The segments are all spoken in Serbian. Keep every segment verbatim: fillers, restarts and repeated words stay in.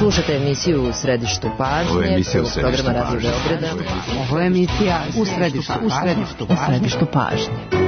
Slušate emisiju U središtu pažnje. Ovo je emisija U središtu pažnje. Radio Beograda. Ovo je emisija U središtu, u središtu, u središtu pažnje.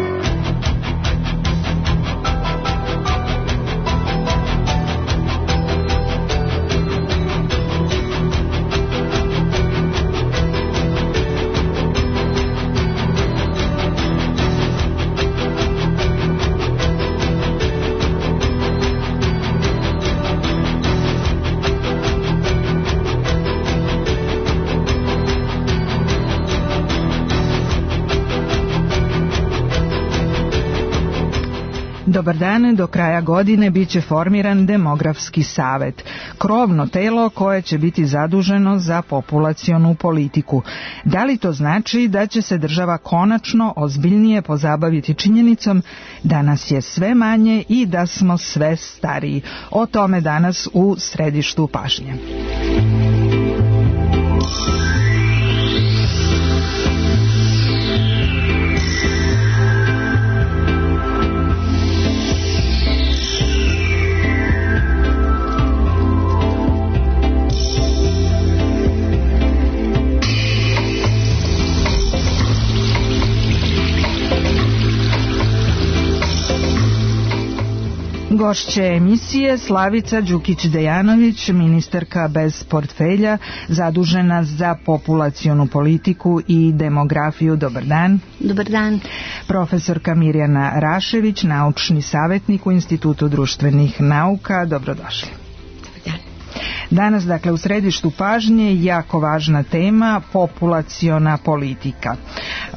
Dobar dan, do kraja godine biće formiran demografski savet, krovno telo koje će biti zaduženo za populacionu politiku. Da li to znači da će se država konačno ozbiljnije pozabaviti činjenicom da nas je sve manje i da smo sve stariji? O tome danas u središtu pažnje. Gošće emisije Slavica Đukić-Dejanović, ministarka bez portfelja, zadužena za populacionu politiku i demografiju. Dobar dan. Dobar dan. Profesorka Mirjana Rašević, naučni savjetnik u Institutu društvenih nauka. Dobrodošli. Danas, dakle, u središtu pažnje jako važna tema, populaciona politika. E,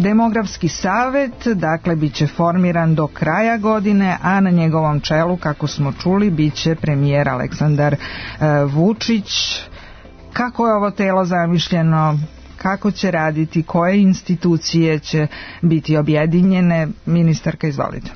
demografski savet, dakle, bit će formiran do kraja godine, a na njegovom čelu, kako smo čuli, bit će premijer Aleksandar e, Vučić. Kako je ovo telo zamišljeno? Kako će raditi? Koje institucije će biti objedinjene? Ministarka, izvolite.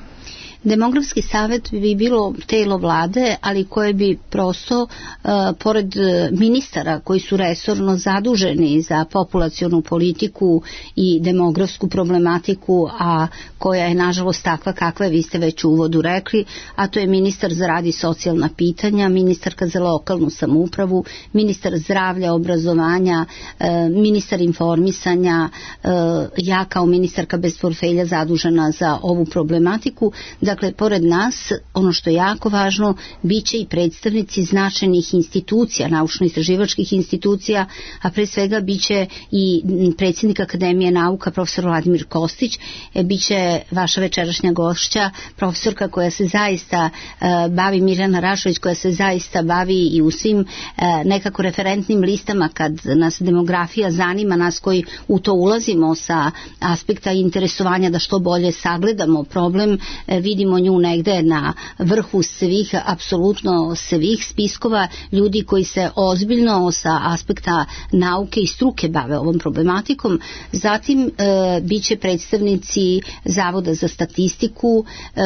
Demografski savet bi bilo telo vlade, ali koje bi prosto, uh, pored ministara koji su resorno zaduženi za populacionu politiku i demografsku problematiku, a koja je nažalost takva kakva je, vi ste već u uvodu rekli, a to je ministar za rad i socijalna pitanja, ministarka za lokalnu samoupravu, ministar zdravlja, obrazovanja, uh, ministar informisanja, uh, ja kao ministarka bez portfelja zadužena za ovu problematiku. Dakle, pored nas, ono što je jako važno, bit će i predstavnici značajnih institucija, naučno-istraživačkih institucija, a pre svega bit će i predsjednik Akademije nauka, profesor Vladimir Kostić, bit će vaša večerašnja gošća, profesorka koja se zaista uh, bavi, Mirjana Rašević, koja se zaista bavi i u svim uh, nekako referentnim listama kad nas demografija zanima, nas koji u to ulazimo sa aspekta interesovanja da što bolje sagledamo problem, uh, vidimo nju negde na vrhu svih, apsolutno svih spiskova ljudi koji se ozbiljno sa aspekta nauke i struke bave ovom problematikom. Zatim e, bit će predstavnici Zavoda za statistiku, e,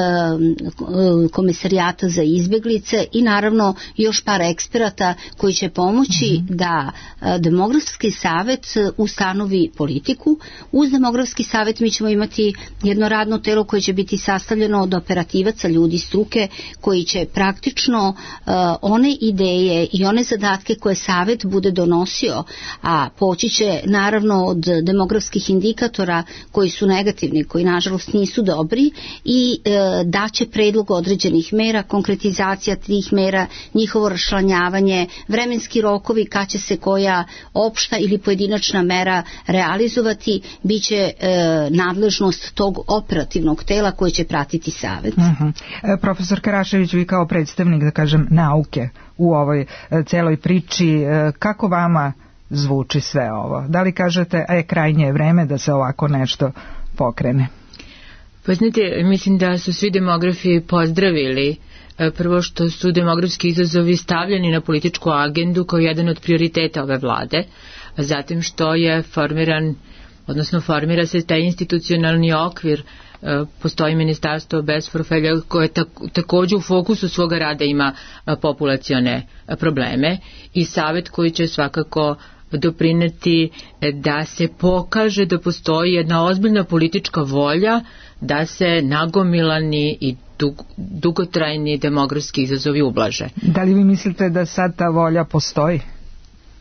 Komesarijata za izbeglice i naravno još par eksperata koji će pomoći mm-hmm. da e, demografski savet ustanovi politiku. Uz demografski savet mi ćemo imati jedno radno telo koje će biti sastavljeno od operativaca, ljudi struke koji će praktično uh, one ideje i one zadatke koje savet bude donosio, a poći će naravno od demografskih indikatora koji su negativni, koji nažalost nisu dobri, i uh, daće predlog određenih mera, konkretizacija tih mera, njihovo raščlanjavanje, vremenski rokovi kad će se koja opšta ili pojedinačna mera realizovati, bit će uh, nadležnost tog operativnog tela koje će pratiti savet. Uh-huh. E, profesor Karašević, vi kao predstavnik, da kažem, nauke u ovoj e, celoj priči, e, kako vama zvuči sve ovo? Da li kažete, a je krajnje vreme da se ovako nešto pokrene? Pa znate, mislim da su svi demografi pozdravili e, prvo što su demografski izazovi stavljeni na političku agendu kao jedan od prioriteta ove vlade, a zatim što je formiran, odnosno formira se taj institucionalni okvir. Postoji ministarstvo bez portfelja koje takođe u fokusu svoga rada ima populacione probleme i savet koji će svakako doprineti da se pokaže da postoji jedna ozbiljna politička volja da se nagomilani i dug, dugotrajni demografski izazovi ublaže. Da li vi mislite da sad ta volja postoji?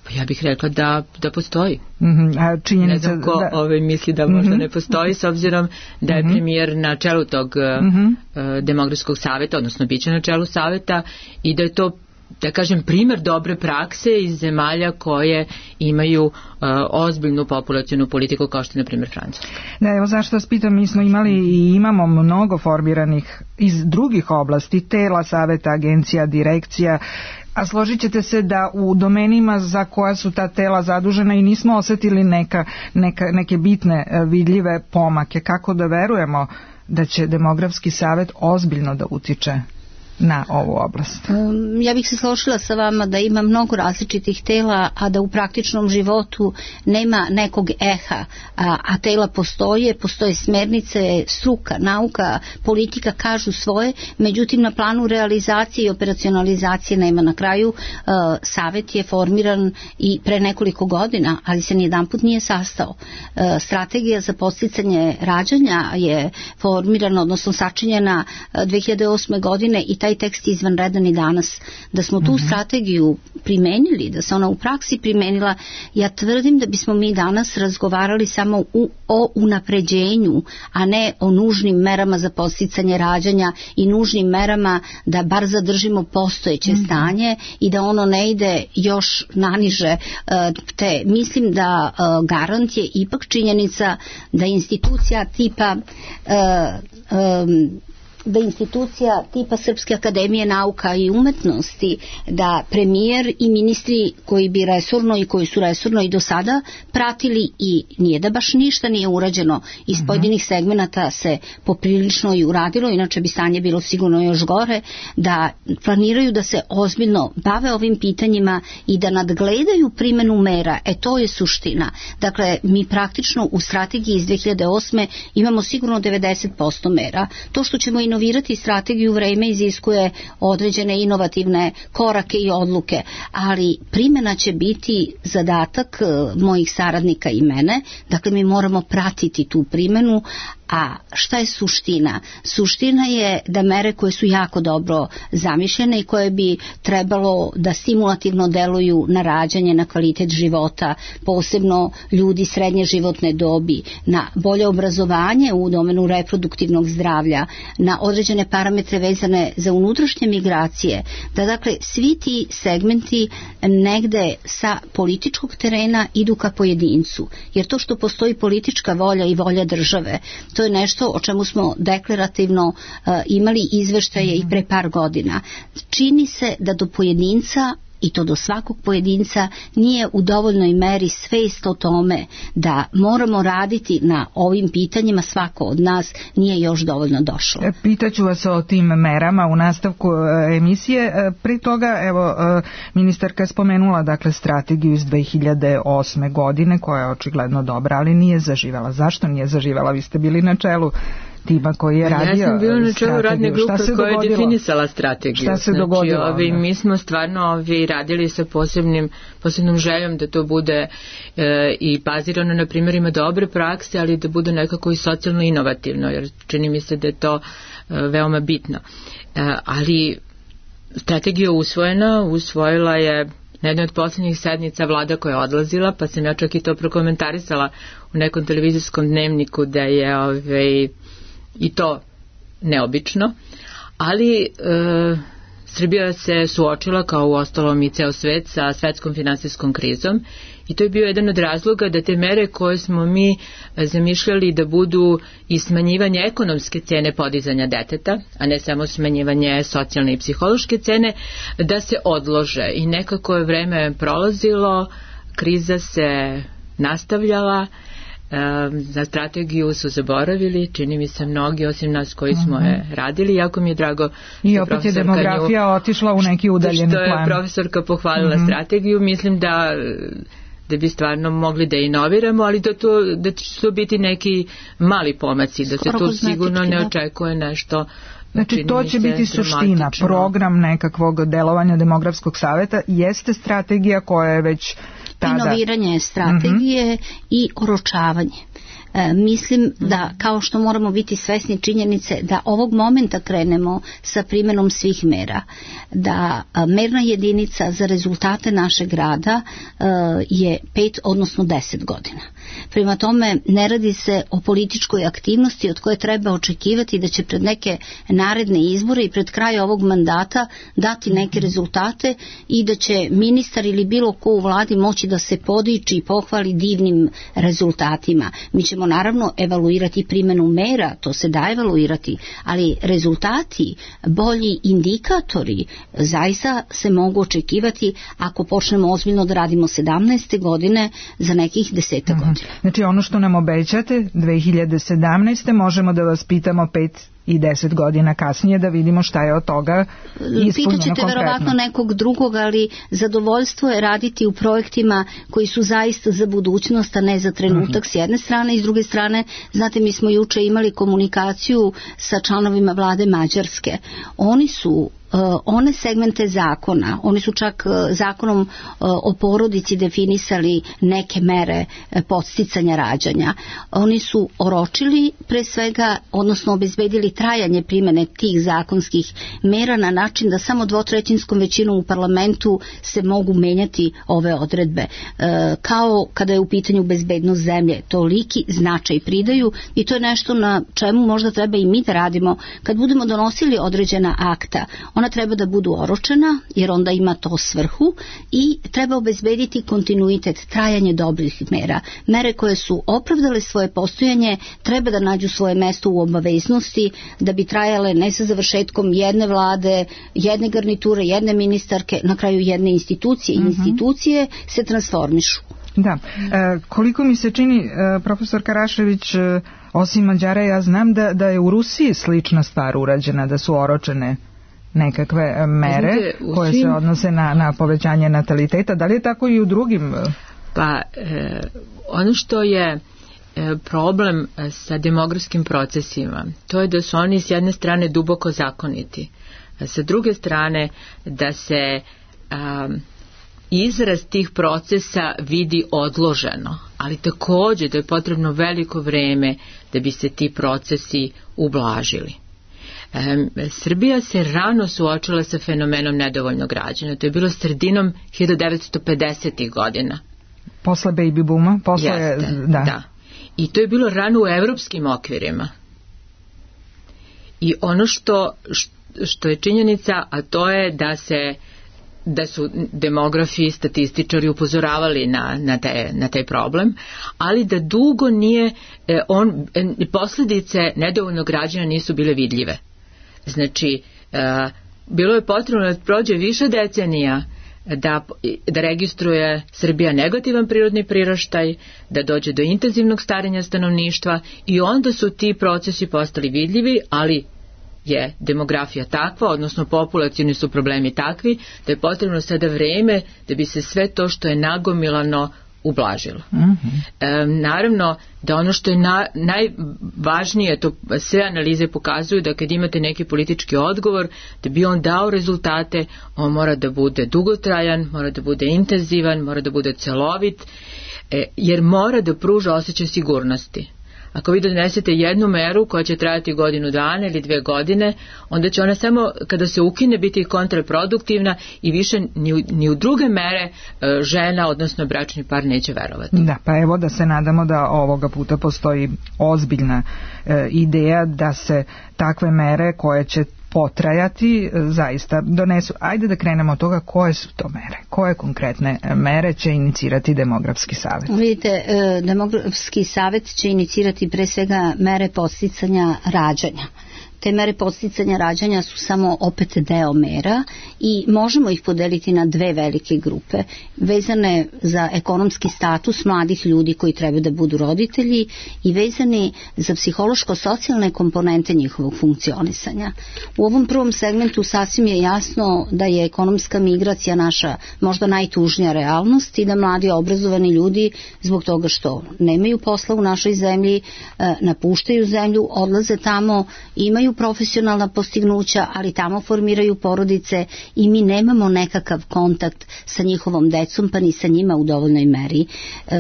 Pa ja bih rekla da, da postoji. Mm-hmm. A činjenica, ne znam ko da... ove misli da možda mm-hmm. ne postoji, s obzirom da je mm-hmm. premijer na čelu tog mm-hmm. uh, demografskog saveta, odnosno biće na čelu saveta, i da je to, da kažem, primjer dobre prakse iz zemalja koje imaju uh, ozbiljnu populacionu politiku, kao što je, na primjer, Francuska. Da, evo zašto vas pitam, mi smo imali i imamo mnogo formiranih iz drugih oblasti, tela, saveta, agencija, direkcija, a složit ćete se da u domenima za koja su ta tela zadužena i nismo osetili neka, neka, neke bitne vidljive pomake. Kako da verujemo da će demografski savet ozbiljno da utiče na ovu oblast? Um, ja bih se složila sa vama da ima mnogo različitih tela, a da u praktičnom životu nema nekog eha, a, a tela postoje, postoje smernice, struka, nauka, politika kažu svoje, međutim na planu realizacije i operacionalizacije nema. Na kraju uh, savet je formiran i pre nekoliko godina, ali se nijedanput nije sastao. Uh, strategija za podsticanje rađanja je formirana, odnosno sačinjena uh, dve hiljade osme godine i taj tekst je izvanredan i danas. Da smo tu mm-hmm. strategiju primenili, da se ona u praksi primenila, ja tvrdim da bismo mi danas razgovarali samo u, o unapređenju, a ne o nužnim merama za podsticanje rađanja i nužnim merama da bar zadržimo postojeće mm-hmm. stanje i da ono ne ide još naniže. Te mislim da garant je ipak činjenica da institucija tipa uh, um, da institucija tipa Srpske akademije nauka i umetnosti, da premijer i ministri koji bi resorno i koji su resorno i do sada pratili, i nije da baš ništa nije urađeno, iz uh-huh. pojedinih segmenata se poprilično i uradilo, inače bi stanje bilo sigurno još gore, da planiraju da se ozbiljno bave ovim pitanjima i da nadgledaju primenu mera. E to je suština. Dakle, mi praktično u strategiji iz dve hiljade osme imamo sigurno devedeset posto mera. To što ćemo i inovirati strategiju, vreme iziskuje određene inovativne korake i odluke, ali primjena će biti zadatak mojih saradnika i mene. Dakle, mi moramo pratiti tu primjenu. A šta je suština? Suština je da mere koje su jako dobro zamišljene i koje bi trebalo da stimulativno deluju na rađanje, na kvalitet života, posebno ljudi srednje životne dobi, na bolje obrazovanje u domenu reproduktivnog zdravlja, na određene parametre vezane za unutrašnje migracije, da dakle svi ti segmenti negde sa političkog terena idu ka pojedincu. Jer to što postoji politička volja i volja države, to je nešto o čemu smo deklarativno uh, imali izveštaje i pre par godina. Čini se da do pojedinca, i to do svakog pojedinca, nije u dovoljnoj meri svest o tome da moramo raditi na ovim pitanjima, svako od nas nije još dovoljno došlo. Pitaću vas o tim merama u nastavku emisije. Pri toga, evo, ministarka je spomenula dakle strategiju iz dve hiljade osme godine, koja je očigledno dobra, ali nije zaživela. Zašto nije zaživela? Vi ste bili na čelu tima koji je radio. Ja sam bila na čelu radne grupe koja je definisala strategiju. Šta se znači, dogodilo? Ovi, mi smo stvarno ovi radili sa posebnim, posebnom željom da to bude e, i bazirano na primjerima dobre prakse, ali da bude nekako i socijalno inovativno, jer čini mi se da je to e, veoma bitno. E, ali strategija usvojena, usvojila je na jednoj od posljednjih sednica vlada koja je odlazila, pa sam ja čak i to prokomentarisala u nekom televizijskom dnevniku da je ovaj, i to neobično, ali e, Srbija se suočila, kao u ostalom i ceo svet, sa svetskom finansijskom krizom, i to je bio jedan od razloga da te mere koje smo mi zamišljali da budu i smanjivanje ekonomske cene podizanja deteta, a ne samo smanjivanje socijalne i psihološke cene, da se odlože. I nekako je vreme prolazilo, kriza se nastavljala, za strategiju su zaboravili, čini mi se mnogi osim nas koji smo je radili, jako mi je drago i opet je demografija nju, otišla u neki udaljeni plan. Što je profesorka pohvalila mm-hmm. strategiju, mislim da da bi stvarno mogli da inoviramo, ali da, to, da će to biti neki mali pomaci, da se tu sigurno ne očekuje nešto. Znači to će biti suština, program nekakvog delovanja demografskog saveta jeste strategija koja je već tada... Inoviranje strategije mm-hmm. i oročavanje. E, mislim da kao što moramo biti svesni činjenice da ovog momenta krenemo sa primjenom svih mera, da a, merna jedinica za rezultate našeg rada a, je pet odnosno deset godina. Prema tome ne radi se o političkoj aktivnosti od koje treba očekivati da će pred neke naredne izbore i pred kraj ovog mandata dati neke rezultate i da će ministar ili bilo ko u vladi moći da se podiči i pohvali divnim rezultatima. Mi ćemo naravno evaluirati primjenu mera, to se da evaluirati, ali rezultati, bolji indikatori zaista se mogu očekivati ako počnemo ozbiljno da radimo sedamnaeste godine za nekih deseta godina. Znači ono što nam obećate dve hiljade sedamnaeste možemo da vas pitamo pet i deset godina kasnije da vidimo šta je od toga ispunjeno konkretno. Pitaćete verovatno nekog drugog, ali zadovoljstvo je raditi u projektima koji su zaista za budućnost, a ne za trenutak s jedne strane i s druge strane, znate, mi smo juče imali komunikaciju sa članovima vlade Mađarske. Oni su Uh, one segmente zakona, oni su čak uh, zakonom uh, o porodici definisali neke mere uh, podsticanja rađanja. Oni su oročili pre svega, odnosno obezbedili trajanje primjene tih zakonskih mera na način da samo dvotrećinskom većinom u parlamentu se mogu menjati ove odredbe. Uh, kao kada je u pitanju bezbednost zemlje, toliki značaj pridaju i to je nešto na čemu možda treba i mi da radimo kad budemo donosili određena akta. Ona treba da budu oročena jer onda ima to svrhu i treba obezbediti kontinuitet, trajanje dobrih mera. Mere koje su opravdale svoje postojanje treba da nađu svoje mesto u obaveznosti da bi trajale ne sa završetkom jedne vlade, jedne garniture, jedne ministarke, na kraju jedne institucije. Uh-huh. Institucije se transformišu. Da, e, koliko mi se čini, e, profesor Karašević, e, osim Mađara, ja znam da, da je u Rusiji slična stvar urađena, da su oročene nekakve mere koje se odnose na, na povećanje nataliteta. Da li je tako i u drugim? Pa, e, ono što je e, problem sa demografskim procesima, to je da su oni s jedne strane duboko zakoniti, a sa druge strane da se a, izraz tih procesa vidi odloženo, ali također da je potrebno veliko vreme da bi se ti procesi ublažili. E, Srbija se rano suočila sa fenomenom nedovoljnog rađanja. To je bilo sredinom hiljadu devetsto pedesetih godina. Posle baby booma? Posle, Jeste, da. da. I to je bilo rano u evropskim okvirima. I ono što, što je činjenica, a to je da se da su demografi i statističari upozoravali na, na, te, na taj problem, ali da dugo nije, on, posljedice nedovoljnog rađanja nisu bile vidljive. Znači, e, bilo je potrebno da prođe više decenija da, da registruje Srbija negativan prirodni priraštaj, da dođe do intenzivnog starenja stanovništva i onda su ti procesi postali vidljivi, ali je demografija takva, odnosno populacioni su problemi takvi, da je potrebno sada vreme da bi se sve to što je nagomilano ublažilo. Mm-hmm. E, naravno da ono što je na, najvažnije, to sve analize pokazuju da kad imate neki politički odgovor, da bi on dao rezultate, on mora da bude dugotrajan, mora da bude intenzivan, mora da bude celovit, e, jer mora da pruža osjećaj sigurnosti. Ako vi donesete jednu meru koja će trajati godinu dana ili dve godine, onda će ona samo kada se ukine biti kontraproduktivna i više ni u, ni u druge mere žena, odnosno bračni par neće verovati. Da, pa evo da se nadamo da ovoga puta postoji ozbiljna e, ideja da se takve mere koje će potrajati zaista donesu. Ajde da krenemo od toga koje su to mere, koje konkretne mere će inicirati demografski savjet. Vidite, demografski savjet će inicirati pre svega mere podsticanja rađanja. Te mere podsticanja rađanja su samo opet deo mera i možemo ih podeliti na dve velike grupe vezane za ekonomski status mladih ljudi koji treba da budu roditelji i vezani za psihološko-socijalne komponente njihovog funkcionisanja. U ovom prvom segmentu sasvim je jasno da je ekonomska migracija naša možda najtužnija realnost i da mladi obrazovani ljudi zbog toga što nemaju posla u našoj zemlji, napuštaju zemlju, odlaze tamo, imaju imaju profesionalna postignuća, ali tamo formiraju porodice i mi nemamo nekakav kontakt sa njihovom decom, pa ni sa njima u dovoljnoj meri. E,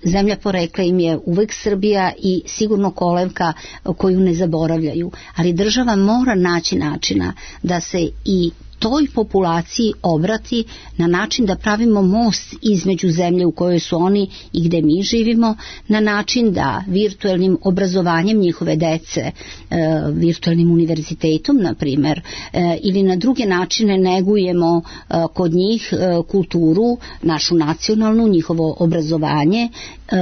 zemlja porekla im je uvek Srbija i sigurno kolevka koju ne zaboravljaju, ali država mora naći načina da se i toj populaciji obrati na način da pravimo most između zemlje u kojoj su oni i gde mi živimo, na način da virtualnim obrazovanjem njihove dece, e, virtualnim univerzitetom, na primer, e, ili na druge načine negujemo e, kod njih e, kulturu, našu nacionalnu, njihovo obrazovanje, e,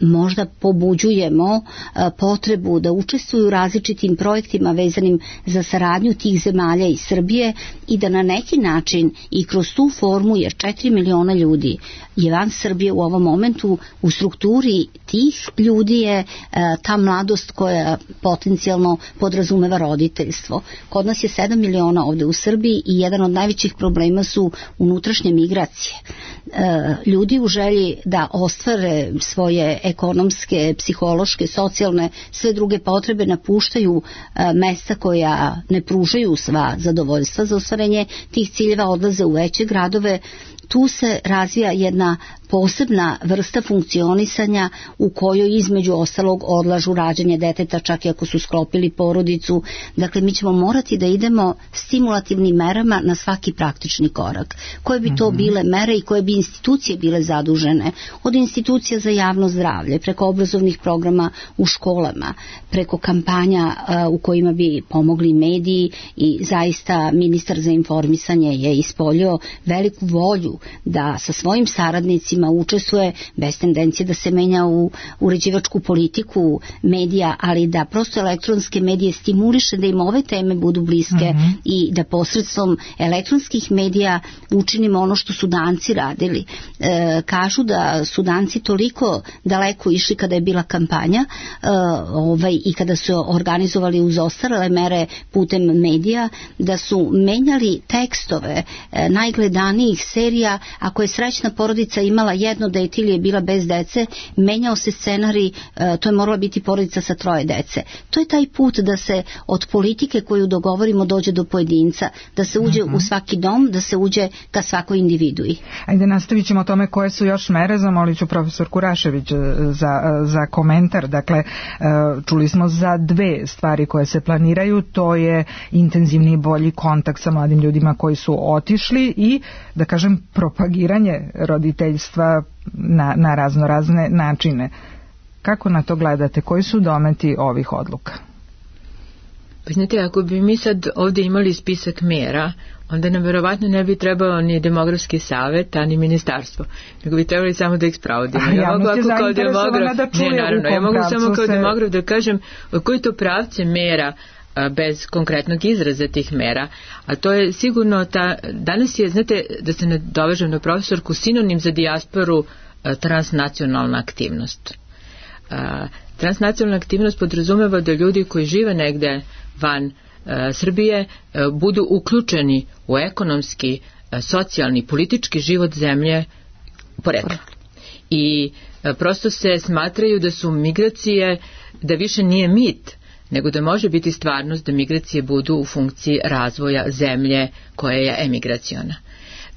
možda pobuđujemo e, potrebu da učestvuju u različitim projektima vezanim za saradnju tih zemalja i Srbije i da na neki način i kroz tu formu, jer četiri miliona ljudi je van Srbije u ovom momentu, u strukturi tih ljudi je e, ta mladost koja potencijalno podrazumeva roditeljstvo. Kod nas je sedam miliona ovde u Srbiji i jedan od najvećih problema su unutrašnje migracije. E, ljudi u želji da ostvare svoje ekonomske, psihološke, socijalne, sve druge potrebe napuštaju e, mesta koja ne pružaju sva zadovoljstva za ostvarenje tih ciljeva, odlaze u veće gradove. Tu se razvija jedna posebna vrsta funkcionisanja u kojoj između ostalog odlažu rađanje deteta čak i ako su sklopili porodicu. Dakle, mi ćemo morati da idemo stimulativnim merama na svaki praktični korak. Koje bi to bile mere i koje bi institucije bile zadužene? Od institucija za javno zdravlje, preko obrazovnih programa u školama, preko kampanja uh, u kojima bi pomogli mediji i zaista ministar za informisanje je ispoljio veliku volju da sa svojim saradnicima učestvuje bez tendencije da se menja u uređivačku politiku medija, ali da prosto elektronske medije stimuliše da im ove teme budu bliske mm-hmm. i da posredstvom elektronskih medija učinimo ono što su Danci radili. E, kažu da su Danci toliko daleko išli kada je bila kampanja e, ovaj, i kada su organizovali uz ostarele mere putem medija, da su menjali tekstove e, najgledanijih serija. Ako je Srećna porodica imala jedno dete ili je bila bez dece, menjao se scenarij, to je morala biti porodica sa troje dece. To je taj put da se od politike koju dogovorimo dođe do pojedinca, da se uđe uh-huh. u svaki dom, da se uđe ka svakoj individui. Ajde, nastavit ćemo o tome koje su još mere. Zamolit ću profesorku Rašević za, za komentar. Dakle, čuli smo za dve stvari koje se planiraju, to je intenzivni i bolji kontakt sa mladim ljudima koji su otišli i, da kažem, propagiranje roditeljstva na, na razno razne načine. Kako na to gledate? Koji su dometi ovih odluka? Pa znate, ako bi mi sad ovdje imali spisak mera, onda nam verovatno ne bi trebao ni demografski savet, a ni ministarstvo, nego bi trebali samo da ih sprovodimo. Ja, ja mogu ako kao demograf, da ne, naravno, ja mogu samo kao se... demograf da kažem koji to pravce mera bez konkretnog izraza tih mera, a to je sigurno ta, danas je, znate, da se nadovežem na profesorku, sinonim za dijasporu transnacionalna aktivnost. Transnacionalna aktivnost podrazumeva da ljudi koji žive negde van Srbije budu uključeni u ekonomski, socijalni, politički život zemlje porekla. I prosto se smatraju da su migracije, da više nije mit, nego da može biti stvarnost da migracije budu u funkciji razvoja zemlje koja je emigraciona.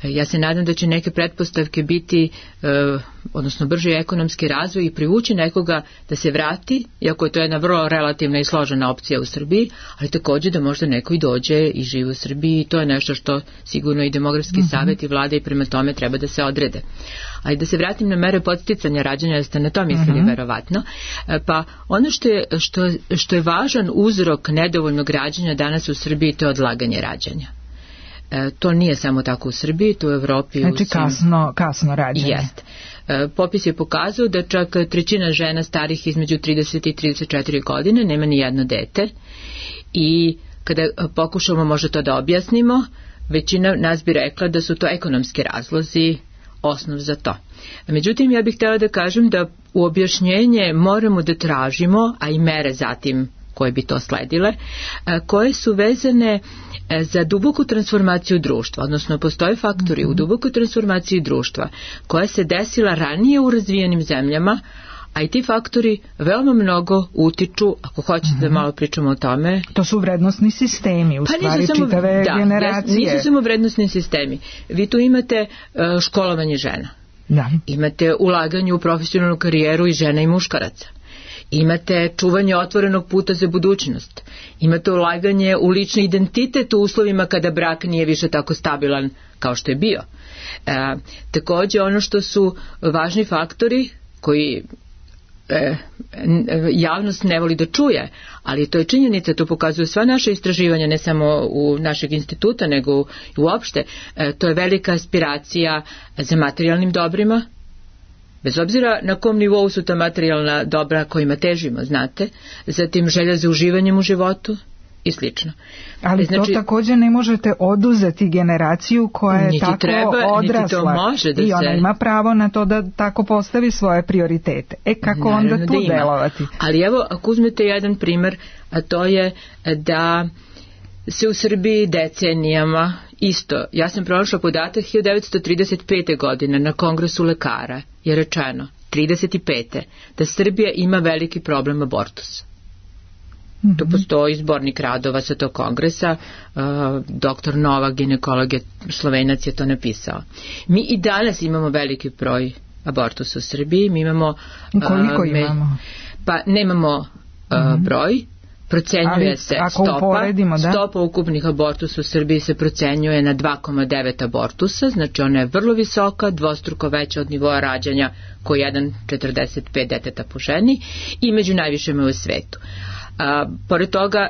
Ja se nadam da će neke pretpostavke biti, eh, odnosno brži ekonomski razvoj i privući nekoga da se vrati, iako je to jedna vrlo relativna i složena opcija u Srbiji, ali također da možda neko i dođe i živi u Srbiji i to je nešto što sigurno i demografski mm-hmm. savjet i vlada i prema tome treba da se odrede. Ali da se vratim na mere podsticanja rađanja, da ste na to mislili mm-hmm. verovatno, pa ono što je, što, što je važan uzrok nedovoljnog rađanja danas u Srbiji, to je odlaganje rađanja. E, to nije samo tako u Srbiji, to u Evropi. Znači kasno, kasno rađanje. Jest. E, popis je pokazao da čak trećina žena starih između trideset i trideset četiri godine nema ni jedno dete i kada pokušamo možda to da objasnimo, većina nas bi rekla da su to ekonomski razlozi osnov za to. Međutim, ja bih htjela da kažem da u objašnjenje moramo da tražimo, a i mere zatim koje bi to sledile, koje su vezane za duboku transformaciju društva, odnosno postoje faktori u dubokoj transformaciji društva koja se desila ranije u razvijenim zemljama, A i ti faktori veoma mnogo utiču, ako hoćete mm-hmm. da malo pričamo o tome. To su vrednosni sistemi, u pa stvari samo, čitave da, generacije. Nisu samo vrednosni sistemi. Vi tu imate uh, školovanje žena. Da. Imate ulaganje u profesionalnu karijeru i žena i muškaraca. Imate čuvanje otvorenog puta za budućnost. Imate ulaganje u lični identitet u uslovima kada brak nije više tako stabilan kao što je bio. E, takođe, ono što su važni faktori koji e, javnost ne voli da čuje, ali to je činjenica, to pokazuju sva naša istraživanja, ne samo u našeg instituta, nego uopšte. E, to je velika aspiracija za materijalnim dobrima, bez obzira na kom nivou su ta materijalna dobra kojima težimo, znate, zatim želja za uživanjem u životu i slično. Ali znači, to također ne možete oduzeti generaciju koja je tako treba, odrasla niti to može da i ona se... ima pravo na to da tako postavi svoje prioritete. E kako Naravno onda tu da delovati? Ali evo, ako uzmete jedan primer, a to je da se u Srbiji decenijama isto, ja sam pronašla podatak hiljadu devetsto trideset pete. godine na Kongresu lekara je rečeno, trideset pete. da Srbija ima veliki problem abortusa. Mm-hmm. Tu postoji zbornik radova sa tog kongresa, uh, doktor Novak, ginekolog je Slovenac, je to napisao. Mi i danas imamo veliki broj abortusa u Srbiji, mi imamo... Uh, Koliko me, imamo? Pa nemamo uh, mm-hmm. broj, procenjuje ali, se stopa, da? stopa ukupnih abortusa u Srbiji se procenjuje na dva zarez devet abortusa, znači ona je vrlo visoka, dvostruko veća od nivoa rađanja koji jedan zarez četrdeset pet deteta po ženi i među najvišima u svetu. A, pored toga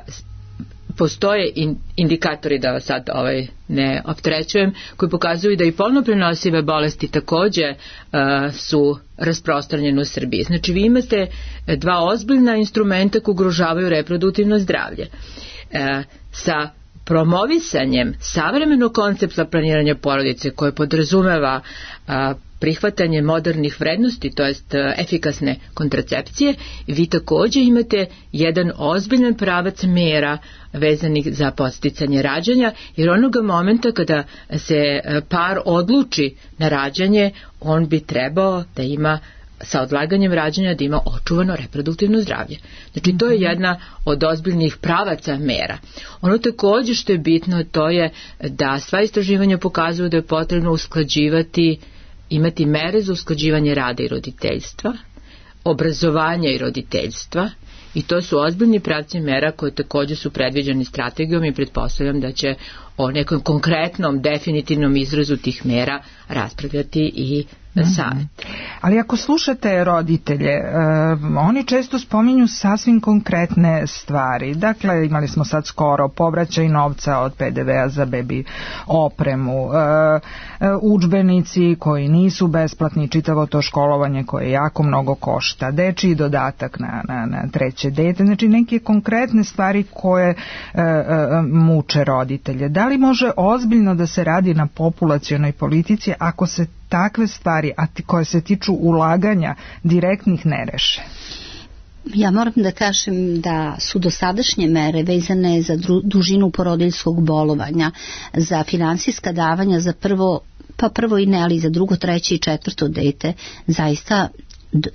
postoje in, indikatori, da vas sad ovaj ne opterećujem, koji pokazuju da i polno prenosive bolesti takođe uh, su rasprostranjene u Srbiji. Znači vi imate dva ozbiljna instrumenta koji ugrožavaju reproduktivno zdravlje. Uh, sa promovisanjem savremenog koncepta planiranja porodice koje podrazumeva uh, prihvatanje modernih vrednosti, to jest efikasne kontracepcije, vi također imate jedan ozbiljan pravac mera vezanih za podsticanje rađanja, jer onoga momenta kada se par odluči na rađanje, on bi trebao da ima sa odlaganjem rađanja da ima očuvano reproduktivno zdravlje. Znači to je jedna od ozbiljnih pravaca mera. Ono također što je bitno, to je da sva istraživanja pokazuju da je potrebno usklađivati, imati mere za usklađivanje rada i roditeljstva, obrazovanja i roditeljstva, i to su ozbiljni pravci mera koje također su predviđeni strategijom i pretpostavljam da će o nekom konkretnom, definitivnom izrazu tih mera raspravljati i savjet. Ali ako slušate roditelje, uh, oni često spominju sasvim konkretne stvari. Dakle, imali smo sad skoro povraćaj novca od pe de vea za bebi opremu, uh, udžbenici koji nisu besplatni, čitavo to školovanje koje jako mnogo košta, dečiji dodatak na, na, na treće dete, znači neke konkretne stvari koje uh, uh, muče roditelje. Da li može ozbiljno da se radi na populacionoj politici ako se takve stvari, a ti, koje se tiču ulaganja direktnih, ne reše? Ja moram da kažem da su dosadašnje mere vezane za dru, dužinu porodiljskog bolovanja, za finansijska davanja za prvo, pa prvo i ne, ali za drugo, treće i četvrto dete, zaista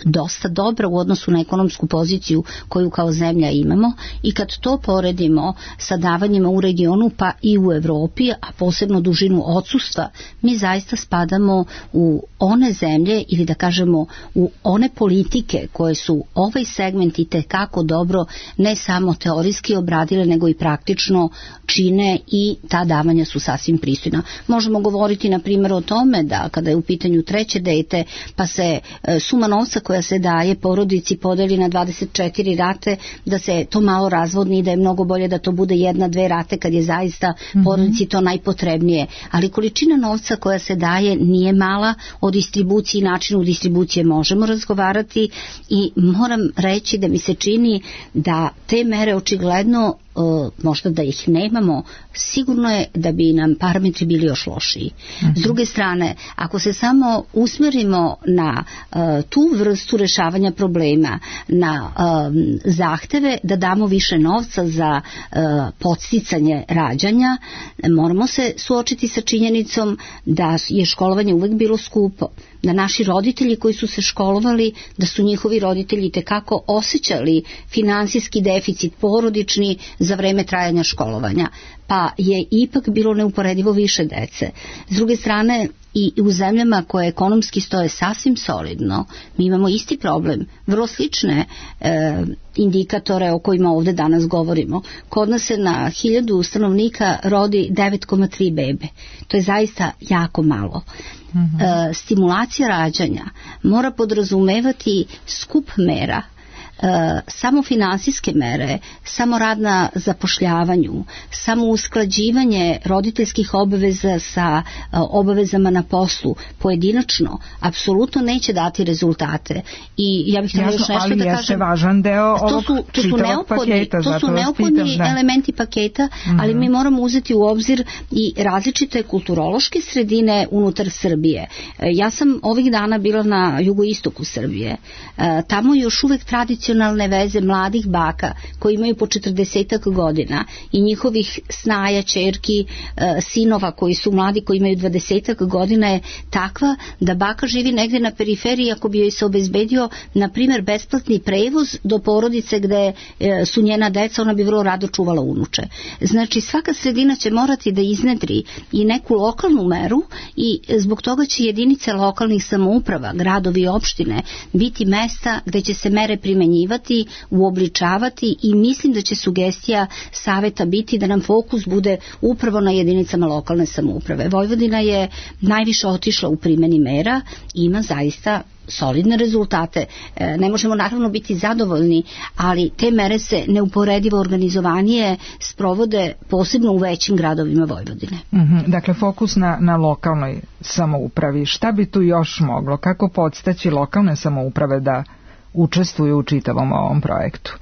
dosta dobra u odnosu na ekonomsku poziciju koju kao zemlja imamo, i kad to poredimo sa davanjima u regionu pa i u Evropi, a posebno dužinu odsustva, mi zaista spadamo u one zemlje, ili da kažemo u one politike koje su ovaj segment i tekako dobro ne samo teorijski obradile, nego i praktično čine, i ta davanja su sasvim pristojna. Možemo govoriti na primjer o tome da kada je u pitanju treće dete, pa se e, suma novca koja se daje porodici podeli na dvadeset četiri rate, da se to malo razvodni i da je mnogo bolje da to bude jedna, dve rate kad je zaista mm-hmm. porodici to najpotrebnije. Ali količina novca koja se daje nije mala, o distribuciji i načinu distribucije možemo razgovarati, i moram reći da mi se čini da te mere očigledno, Uh, možda da ih nemamo, sigurno je da bi nam parametri bili još lošiji. Mm-hmm. S druge strane, ako se samo usmerimo na uh, tu vrstu rešavanja problema, na um, zahteve da damo više novca za uh, podsticanje rađanja, moramo se suočiti sa činjenicom da je školovanje uvek bilo skupo, da naši roditelji koji su se školovali, da su njihovi roditelji tekako osjećali finansijski deficit porodični za vreme trajanja školovanja, pa je ipak bilo neuporedivo više dece. S druge strane, i u zemljama koje ekonomski stoje sasvim solidno, mi imamo isti problem, vrlo slične e, indikatore o kojima ovde danas govorimo. Kod nas se na hiljadu stanovnika rodi devet zarez tri bebe. To je zaista jako malo. Mm-hmm. E, stimulacija rađanja mora podrazumevati skup mera, E, samo finansijske mere, samo rad na zapošljavanju, samo usklađivanje roditeljskih obaveza sa e, obavezama na poslu pojedinačno apsolutno neće dati rezultate. I ja bih htjela još nešto ali da kažem. kažem. Važan deo to su, to su neophodni, paketa, to su neophodni pitam, elementi paketa, mm-hmm. ali mi moramo uzeti u obzir i različite kulturološke sredine unutar Srbije. E, ja sam ovih dana bila na jugoistoku Srbije. E, tamo još uvek tradicionalno tradicionalne veze mladih baka koji imaju po četrdesetak godina i njihovih snaja, ćerki, e, sinova koji su mladi, koji imaju dvadesetak godina, je takva da baka živi negde na periferiji. Ako bi joj se obezbedio, na primjer, besplatni prevoz do porodice gde e, su njena deca, ona bi vrlo rado čuvala unuče. Znači, svaka sredina će morati da iznedri i neku lokalnu meru i zbog toga će jedinice lokalnih samouprava, gradovi i opštine biti mesta gde će se mere primenjivati, uobličavati, i mislim da će sugestija saveta biti da nam fokus bude upravo na jedinicama lokalne samouprave. Vojvodina je najviše otišla u primeni mera i ima zaista solidne rezultate. E, ne možemo naravno biti zadovoljni, ali te mere se neuporedivo organizovanije sprovode posebno u većim gradovima Vojvodine. Mm-hmm. Dakle, fokus na, na lokalnoj samoupravi. Šta bi tu još moglo? Kako podstaći lokalne samouprave da učestvuju u čitavom ovom projektu?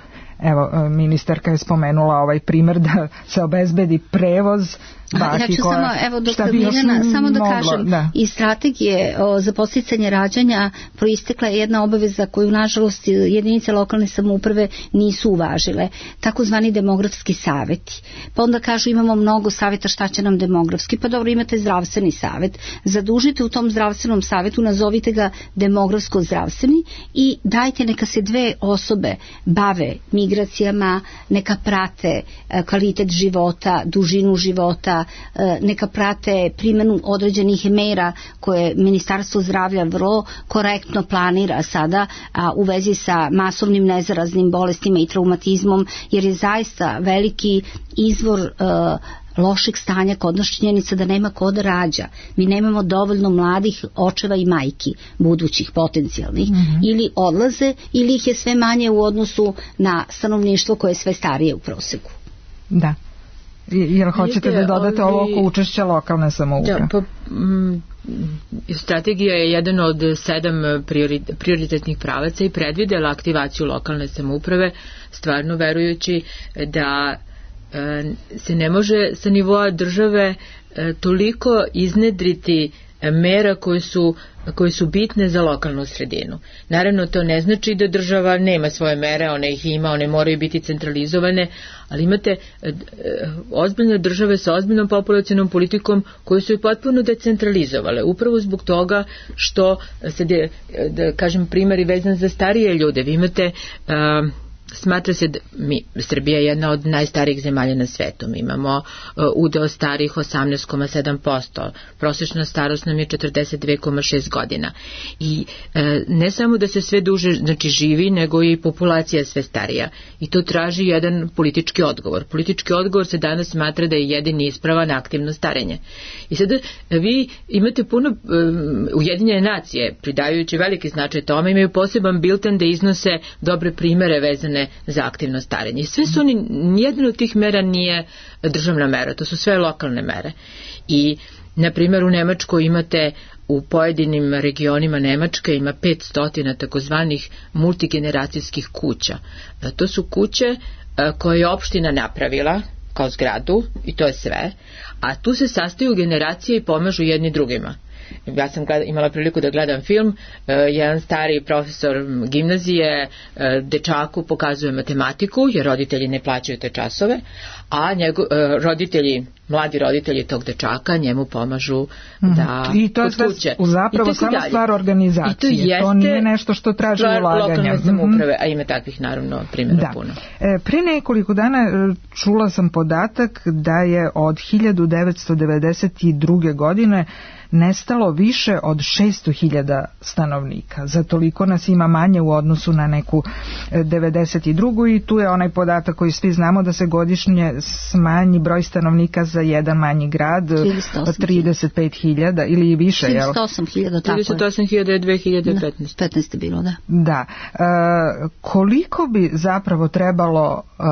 Evo, ministarka je spomenula ovaj primjer da se obezbedi prevoz baki. Ja ću koja, samo, evo, doktor Miljana, samo da moglo, kažem, da. iz strategije o, za podsticanje rađanja proistekla je jedna obaveza koju, nažalost, jedinice lokalne samouprave nisu uvažile, takozvani demografski saveti. Pa onda kažu, imamo mnogo saveta, šta će nam demografski? Pa dobro, imate zdravstveni savet, zadužite u tom zdravstvenom savetu, nazovite ga demografsko-zdravstveni i dajte neka se dve osobe bave migracijama, neka prate kvalitet života, dužinu života, neka prate primjenu određenih mera koje Ministarstvo zdravlja vrlo korektno planira sada a, u vezi sa masovnim nezaraznim bolestima i traumatizmom, jer je zaista veliki izvor a, lošeg stanja kod nas činjenica da nema ko da rađa. Mi nemamo dovoljno mladih očeva i majki, budućih, potencijalnih, mm-hmm. ili odlaze ili ih je sve manje u odnosu na stanovništvo koje je sve starije u proseku. Da. Jel hoćete da dodate ovo oko učešća lokalne samouprave? Da, pa, m, strategija je jedan od sedam prioritetnih pravaca i predvidela aktivaciju lokalne samouprave, stvarno verujući da se ne može sa nivoa države toliko iznedriti mera koje su, koje su bitne za lokalnu sredinu. Naravno, to ne znači da država nema svoje mere, one ih ima, one moraju biti centralizovane, ali imate ozbiljne države sa ozbiljnom populacionom politikom koje su i potpuno decentralizovale, upravo zbog toga što se, de, da kažem, primjeri vezan za starije ljude. Vi imate... Uh, Smatra se da mi, Srbija je jedna od najstarijih zemalja na svetu. Mi imamo uh, udeo starih osamnaest zarez sedam posto. Prosječna starost nam je četrdeset dve zarez šest godina. I uh, ne samo da se sve duže znači, živi, nego i populacija sve starija. I to traži jedan politički odgovor. Politički odgovor se danas smatra da je jedini ispravan aktivno starenje. I sada vi imate puno um, Ujedinjene nacije, pridajući veliki značaj tome, imaju poseban bilten da iznose dobre primere vezane za aktivno starenje. Sve su oni, nijedna od tih mera nije državna mera, to su sve lokalne mere. I, na primjer, u Nemačkoj imate u pojedinim regionima Nemačke ima petsto takozvanih multigeneracijskih kuća. To su kuće koje je opština napravila kao zgradu i to je sve, a tu se sastaju generacije i pomažu jedni drugima. Ja sam gleda, imala priliku da gledam film, uh, jedan stari profesor gimnazije uh, dečaku pokazuje matematiku jer roditelji ne plaćaju te časove, a njego, uh, roditelji mladi roditelji tog dečaka njemu pomažu da mm. I to je sve zapravo samo dalje. Stvar organizacije, to, to nije nešto što traži ulaganja. Lokalne samouprave, a ima takvih naravno primjera da. puno. E, pre nekoliko dana čula sam podatak da je od hiljadu devetsto devedeset druge. godine nestalo više od šesto hiljada stanovnika. Za toliko nas ima manje u odnosu na neku devedeset drugu. i tu je onaj podatak koji svi znamo da se godišnje smanji broj stanovnika za jedan manji grad trideset pet hiljada ili više. trideset osam hiljada, tako je. trideset osam hiljada je dve hiljade petnaeste. petnaeste bilo, da. Da. E, koliko bi zapravo trebalo e,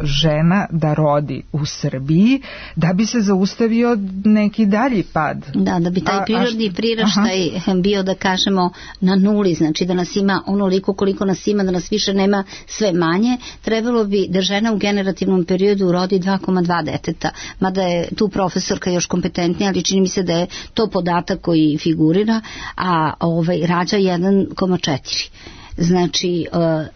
žena da rodi u Srbiji da bi se zaustavio neki dalji pad. Da, da bi taj prirodni a, priraštaj aha. bio, da kažemo, na nuli, znači da nas ima onoliko koliko nas ima, da nas više nema sve manje, trebalo bi da žena u generativnom periodu rodi dva zarez dva deteta, mada je tu profesorka još kompetentnija, ali čini mi se da je to podatak koji figurira, a ovaj, rađa jedan zarez četiri. Znači,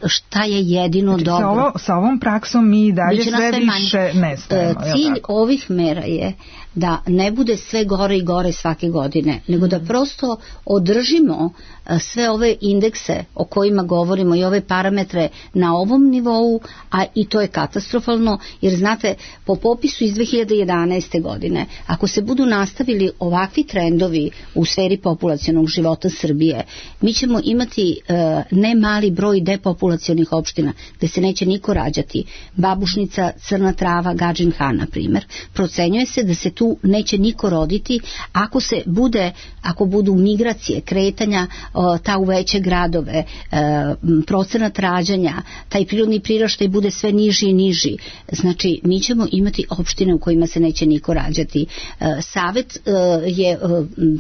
šta je jedino znači, dobro? Sa, ovo, sa ovom praksom mi dalje sve više nestajemo. Cilj ovih mera je da ne bude sve gore i gore svake godine, nego da prosto održimo sve ove indekse o kojima govorimo i ove parametre na ovom nivou, a i to je katastrofalno, jer znate, po popisu iz dve hiljade jedanaeste. godine, ako se budu nastavili ovakvi trendovi u sferi populacionog života Srbije, mi ćemo imati ne mali broj depopulacionih opština gde se neće niko rađati. Babušnica, Crna Trava, Gadžin Han, na primer. Procenjuje se da se tu neće niko roditi ako se bude, ako budu migracije, kretanja o, ta u veće gradove, e, procenat rađanja, taj prirodni priraštaj bude sve niži i niži. Znači, mi ćemo imati opštine u kojima se neće niko rađati. E, Savet e, je e,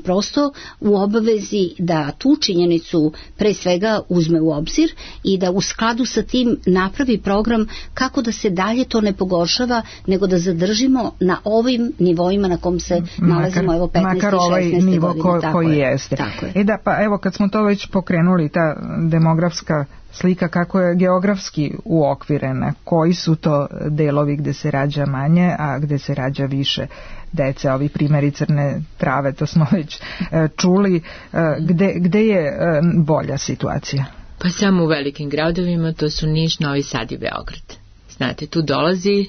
prosto u obavezi da tu činjenicu pre svega uzme u obzir i da u skladu sa tim napravi program kako da se dalje to ne pogoršava, nego da zadržimo na ovim nivoima na kom se nalazimo, makar, evo petnaeste makar ovaj i šesnaeste nivo godine. Ko, tako koji je, jeste. Tako je. E da, pa evo kad smo to već pokrenuli, ta demografska slika kako je geografski uokvirena, koji su to delovi gde se rađa manje, a gde se rađa više dece, ovi primjeri Crne Trave, to smo već e, čuli, e, gde, gde je e, bolja situacija? Pa samo u velikim gradovima, to su Niš, Novi Sad i Beograd. Znate, tu dolazi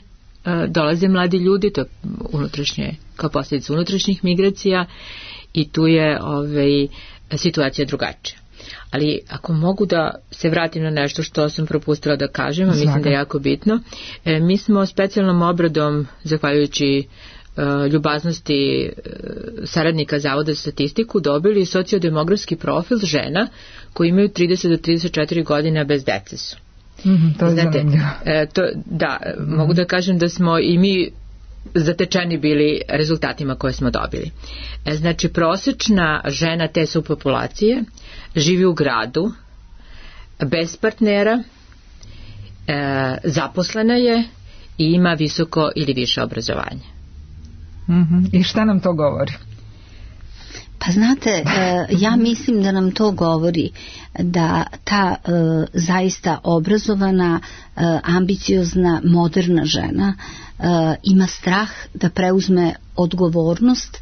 dolaze mladi ljudi, to je unutrašnje, kao posljedica unutrašnjih migracija i tu je ovaj, situacija drugačija. Ali ako mogu da se vratim na nešto što sam propustila da kažem, a mislim da je jako bitno, e, mi smo specijalnom obradom, zahvaljujući e, ljubaznosti e, saradnika Zavoda za statistiku, dobili sociodemografski profil žena koji imaju trideset do trideset četiri godine bez dece su. Mm, to je Znate, e, to, da, mm. mogu da kažem da smo i mi zatečeni bili rezultatima koje smo dobili. E, znači, prosečna žena te subpopulacije živi u gradu, bez partnera, e, zaposlena je i ima visoko ili više obrazovanje. Mm-hmm. I šta nam to govori? Pa znate, ja mislim da nam to govori da ta zaista obrazovana, ambiciozna, moderna žena ima strah da preuzme odgovornost,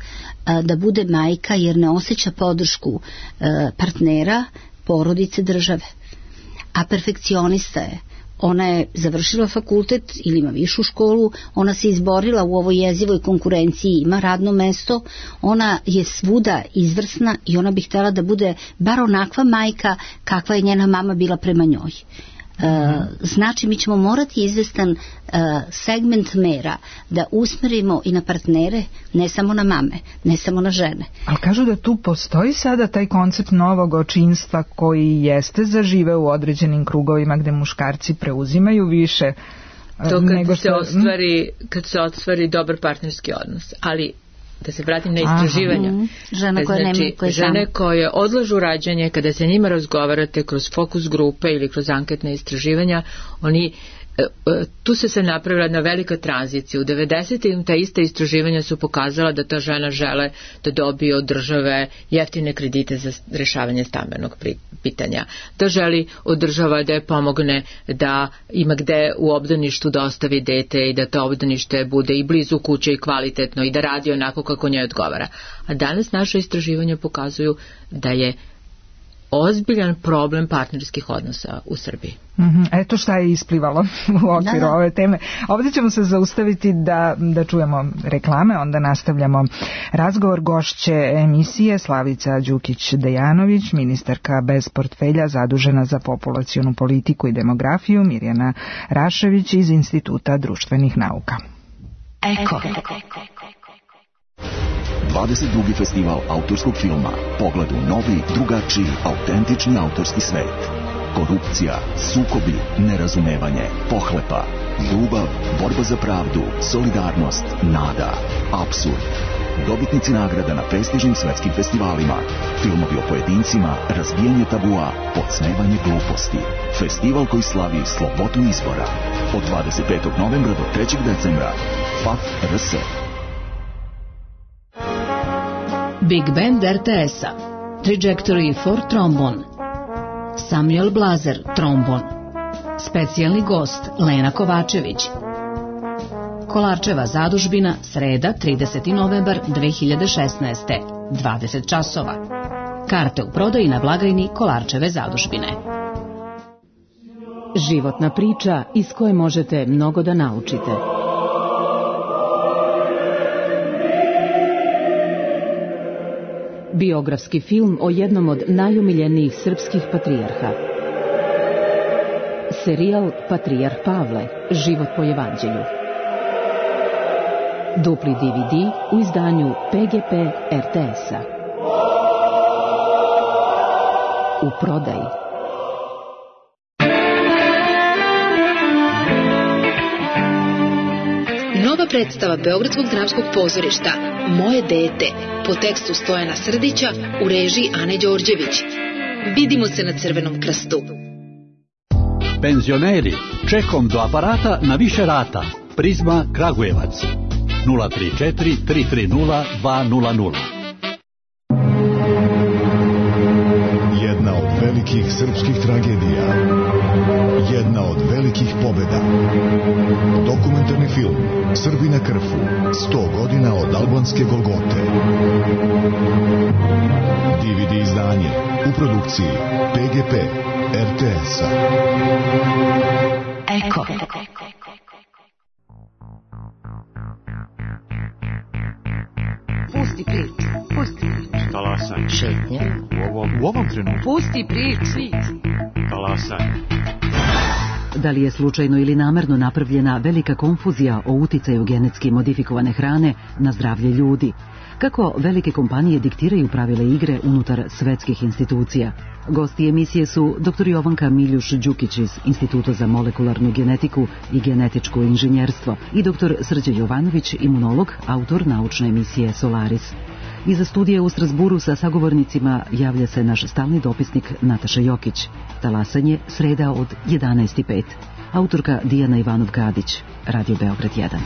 da bude majka jer ne osjeća podršku partnera, porodice, države. A perfekcionista je. Ona je završila fakultet ili ima višu školu, ona se izborila u ovoj jezivoj konkurenciji, ima radno mesto, ona je svuda izvrsna i ona bi htjela da bude bar onakva majka kakva je njena mama bila prema njoj. E, znači mi ćemo morati izvestan e, segment mera da usmerimo i na partnere, ne samo na mame, ne samo na žene. Ali kažu da tu postoji sada taj koncept novog očinstva koji jeste zažive u određenim krugovima gde muškarci preuzimaju više. To kad nego što... se ostvari, kad se ostvari dobar partnerski odnos, ali da se vratim na istraživanja. Mm, žena koje znači, nema, koje žene sam. koje odlažu rađanje, kada se njima razgovarate kroz fokus grupe ili kroz anketne istraživanja, oni tu se se napravila jedna velika tranzicija. U devedesetim ta ista istraživanja su pokazala da ta žena žele da dobije od države jeftine kredite za rešavanje stambenog pitanja, da želi od država da je pomogne da ima gde u obdaništu da ostavi dete i da to obdanište bude i blizu kuće i kvalitetno i da radi onako kako njoj odgovara. A danas naše istraživanja pokazuju da je ozbiljan problem partnerskih odnosa u Srbiji. Mm-hmm. Eto šta je isplivalo u okviru da, da. ove teme. Ovdje ćemo se zaustaviti da, da čujemo reklame, onda nastavljamo razgovor. Gošće emisije Slavica Đukić-Dejanović, ministarka bez portfelja zadužena za populacionu politiku i demografiju, Mirjana Rašević iz Instituta društvenih nauka. Eko. dvadeset drugi festival autorskog filma. Pogled u novi, drugačiji, autentični autorski svet. Korupcija, sukobi, nerazumevanje, pohlepa, ljubav, borba za pravdu, solidarnost, nada, apsurd. Dobitnici nagrada na prestižnim svetskim festivalima. Filmovi o pojedincima, razbijanje tabua, podsmevanje gluposti. Festival koji slavi slobodu izbora. Od dvadeset petog novembra do trećeg decembra. F A F R S. Big Band R T S-a, Trajectory for Trombon, Samuel Blazer, trombon, specijalni gost Lena Kovačević. Kolarčeva zadužbina, sreda, trideseti novembar dve hiljade šesnaeste, dvadeset časova. Karte u prodaji na blagajni Kolarčeve zadužbine. Životna priča iz koje možete mnogo da naučite. Biografski film o jednom od najomiljenijih srpskih patrijarha. Serijal Patrijarh Pavle, život po evanđelju. Dupli D V D u izdanju P G P R T S-a. U prodaji. Nova predstava Beogradskog dramskog pozorišta Moje dete po tekstu Stojana Srdića u režiji Ane Đorđević. Vidimo se na Crvenom krstu. Penzioneri, čekom do aparata na više rata. Prizma Kragujevac. nula tri četiri tri tri nula dva nula nula. Jedna od velikih srpskih tragedija. Jedna od velikih pobjeda. Dokumentarni film Srbi na Krfu. sto godina od albanske Golgote. D V D izdanje u produkciji P G P R T S-a. Eko. Pusti priču, pusti priču. Talasaj. Šetnje. U ovom, u ovom trenutku. Pusti priču. Talasaj. Da li je slučajno ili namerno napravljena velika konfuzija o uticaju genetski modifikovane hrane na zdravlje ljudi? Kako velike kompanije diktiraju pravile igre unutar svetskih institucija? Gosti emisije su doktor Jovanka Miljuš-Đukić iz Instituta za molekularnu genetiku i genetičko inženjerstvo i doktor Srđan Jovanović, imunolog, autor naučne emisije Solaris. Iza studija u Strasburu sa sagovornicima javlja se naš stalni dopisnik Nataša Jokić. Talasanje, sreda od jedanaest i pet. Autorka Dijana Ivanov-Gadić, Radio Beograd jedan.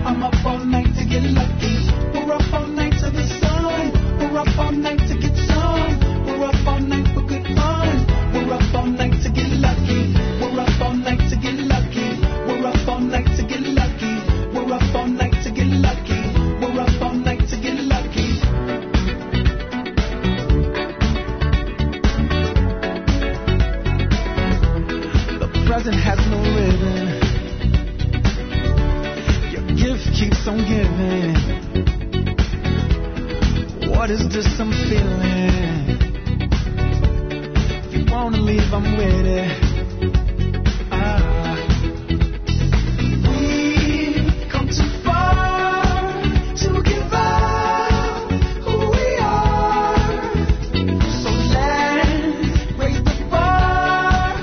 I'm up all night to get lucky. We're up all night to the sun. living? What is this I'm feeling? If you wanna leave, I'm with it. Ah. We've come too far to give up who we are. So let's raise the bar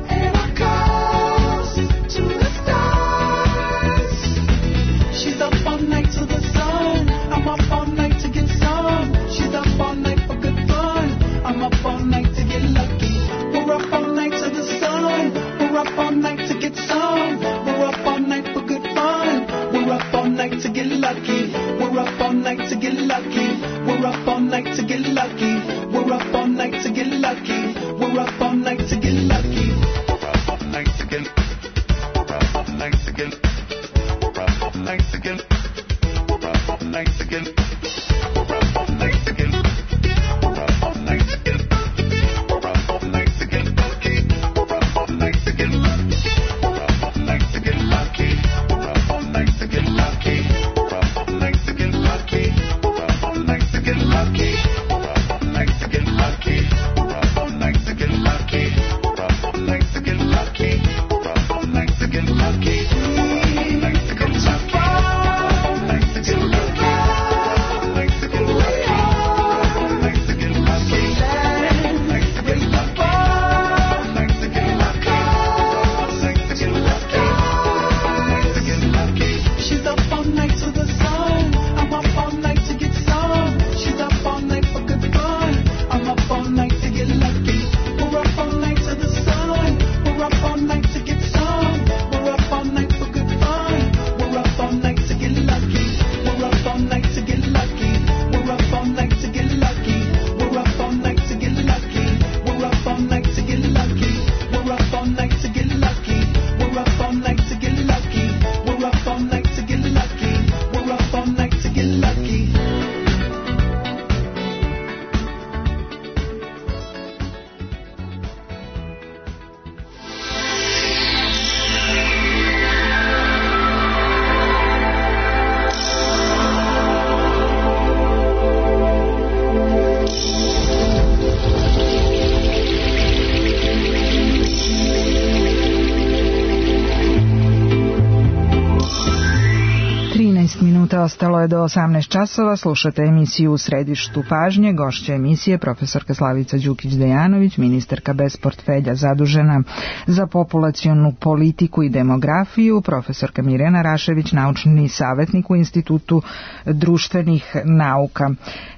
and our calls to the stars. She's up all night to the sun. I'm up all night to get some. She's up all night for good fun. I'm up all night to get lucky. We're up all night to the sun. We're up all night to get some. We're up all night for good fun. We're up all night to get lucky. We're up all night to get lucky. We're up all night to get lucky. We're up all night to get lucky. We're up all night to get lucky. We're up all night to get. We're up all night to get. We're up all night to get. We're up all night to get. We're up all night to get. We're up all night to get. We're up all night to get lucky. We're up all night to get lucky. We're up all night to get lucky. We're up all night to get lucky. We're up all night to get lucky. We're up all night to get lucky. We're up all night to get lucky. We're up all night to get lucky. We're up all night to get lucky. We're up all night to get lucky. We're up all night to get lucky. Ostalo je do osamnaest časova, slušate emisiju U središtu pažnje, gošća emisije profesorka Slavica Đukić-Dejanović, ministarka bez portfelja zadužena za populacionu politiku i demografiju, profesorka Mirjana Rašević, naučni savjetnik u Institutu društvenih nauka.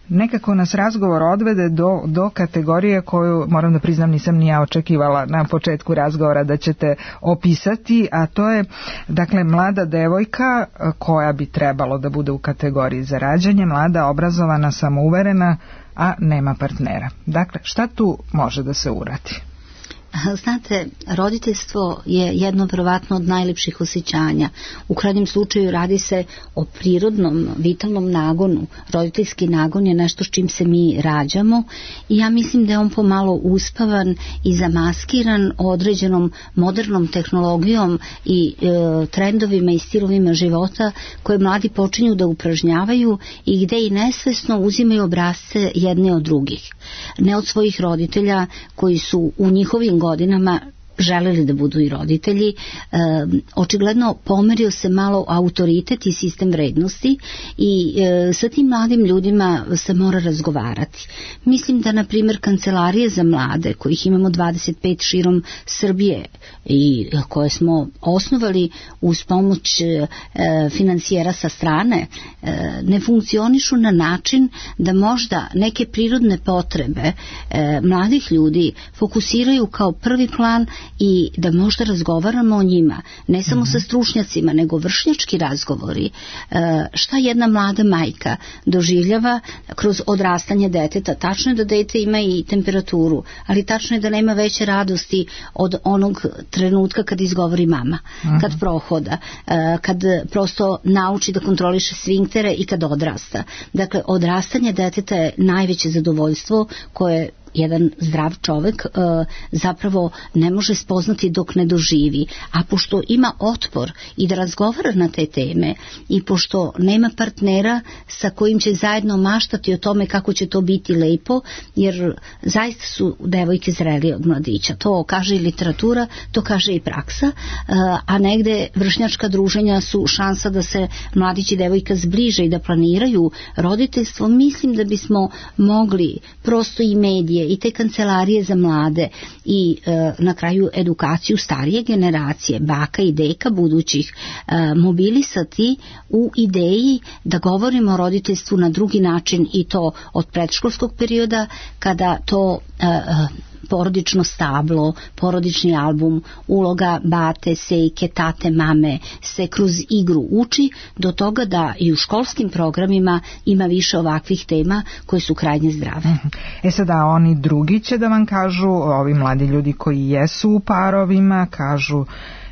Nekako nas razgovor odvede do, do kategorije koju, moram da priznam, nisam ni ja očekivala na početku razgovora da ćete opisati, a to je, dakle, mlada devojka koja bi trebalo da bude u kategoriji za rađanje, mlada, obrazovana, samouverena, a nema partnera. Dakle, šta tu može da se uradi? Znate, roditeljstvo je jedno verovatno od najlepših osjećanja. U krajnjem slučaju radi se o prirodnom, vitalnom nagonu. Roditeljski nagon je nešto s čim se mi rađamo i ja mislim da je on pomalo uspavan i zamaskiran određenom modernom tehnologijom i e, trendovima i stilovima života koje mladi počinju da upražnjavaju i gde i nesvesno uzimaju obrazce jedne od drugih. Ne od svojih roditelja koji su u njihovim godinama želeli da budu i roditelji. E, očigledno pomerio se malo autoritet i sistem vrednosti i e, sa tim mladim ljudima se mora razgovarati. Mislim da, na primjer, kancelarije za mlade, kojih imamo dvadeset pet širom Srbije i koje smo osnovali uz pomoć e, financijera sa strane, e, ne funkcionišu na način da možda neke prirodne potrebe e, mladih ljudi fokusiraju kao prvi plan i da možda razgovaramo o njima, ne samo mm-hmm. sa stručnjacima, nego vršnjački razgovori. E, šta jedna mlada majka doživljava kroz odrastanje deteta? Tačno je da dete ima i temperaturu, ali tačno je da nema veće radosti od onog trenutka kad izgovori mama, mm-hmm. kad prohoda, e, kad prosto nauči da kontroliše sfinktere i kad odrasta. Dakle, odrastanje deteta je najveće zadovoljstvo koje jedan zdrav čovek uh, zapravo ne može spoznati dok ne doživi, a pošto ima otpor i da razgovara na te teme i pošto nema partnera sa kojim će zajedno maštati o tome kako će to biti lepo, jer zaista su devojke zrelije od mladića. To kaže i literatura, to kaže i praksa, a negde vršnjačka druženja su šansa da se mladić i devojka zbliže i da planiraju roditeljstvo. Mislim da bismo mogli prosto i medije i te kancelarije za mlade i na kraju edukaciju starije generacije, baka i deka budućih, mobilisati u ideji da govorimo o roditeljstvu na drugi način i to od predškolskog perioda, kada to porodično stablo, porodični album, uloga bate, sejke, tate, mame se kroz igru uči do toga da i u školskim programima ima više ovakvih tema koje su krajnje zdrave. E sada oni drugi će da vam kažu, ovi mladi ljudi koji jesu u parovima, kažu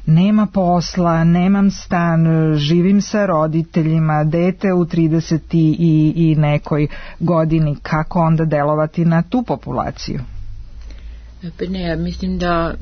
nema posla, nemam stan, živim sa roditeljima, dete u trideset i, i nekoj godini, kako onda delovati na tu populaciju? Ne, ja mislim da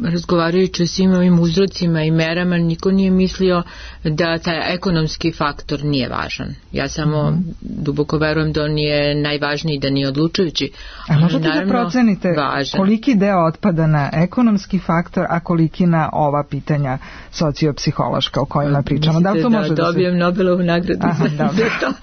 razgovarajući o svim ovim uzrocima i merama niko nije mislio da taj ekonomski faktor nije važan. Ja samo mm-hmm. duboko verujem da on je najvažniji, da nije odlučujući. A možete da procenite važan. Koliki deo otpada na ekonomski faktor, a koliki na ova pitanja sociopsihološka o kojima pričamo? Mislite da, to da može dobijem da se... Nobelovu nagradu Aha, za, za to?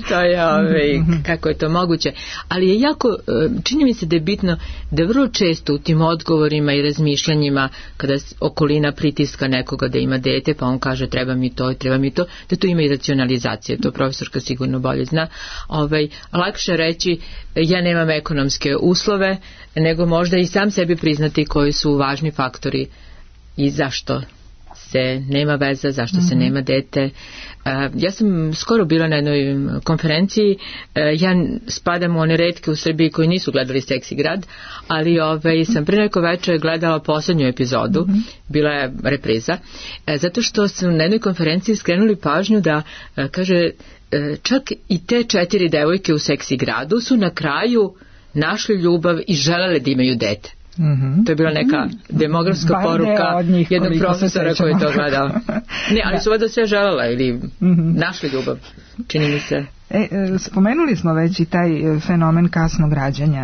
To je ove, kako je to moguće. Ali je jako, čini mi se da je bitno da vrlo često u tim odgovorima i razmišljanjima kada okolina pritiska nekoga da ima dete, pa on kaže treba mi to, treba mi to, da tu ima i racionalizacija, to profesorka sigurno bolje zna. Ovaj, lakše reći ja nemam ekonomske uslove, nego možda i sam sebi priznati koji su važni faktori i zašto se nema veza, zašto mm-hmm. se nema dete. Ja sam skoro bila na jednoj konferenciji, ja spadam u one retke u Srbiji koji nisu gledali Seksi grad, ali ovaj, sam pre neko večer gledala poslednju epizodu, mm-hmm. bila je repriza, zato što su na jednoj konferenciji skrenuli pažnju da, kaže, čak i te četiri devojke u Seksi gradu su na kraju našli ljubav i želele da imaju dete. Mm-hmm. To je bila neka demografska Bar poruka jednog profesora koji je to gledao. Ne, ali su vada sve želela ili mm-hmm. našli ljubav, čini mi se. E, spomenuli smo već i taj fenomen kasnog rađanja